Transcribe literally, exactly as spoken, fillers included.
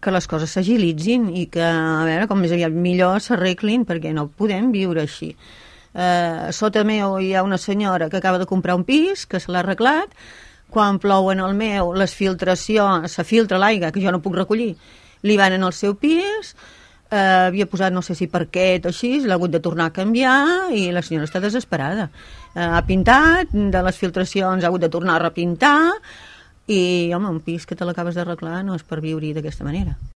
que les coses s'agilitzin i que, a veure, com més aviat millor s'arreglin, perquè no podem viure així. Eh, sota meu hi ha una senyora que acaba de comprar un pis, que se l'ha arreglat. Quan plou en el meu, les filtracions, se filtra l'aigua, que jo no puc recollir, li van en el seu pis. Uh, havia posat no sé si parquet o així, l'ha hagut de tornar a canviar i la senyora està desesperada. Uh, ha pintat, de les filtracions ha hagut de tornar a repintar i, home, un pis que te l'acabes d'arreglar no és per viure-hi d'aquesta manera.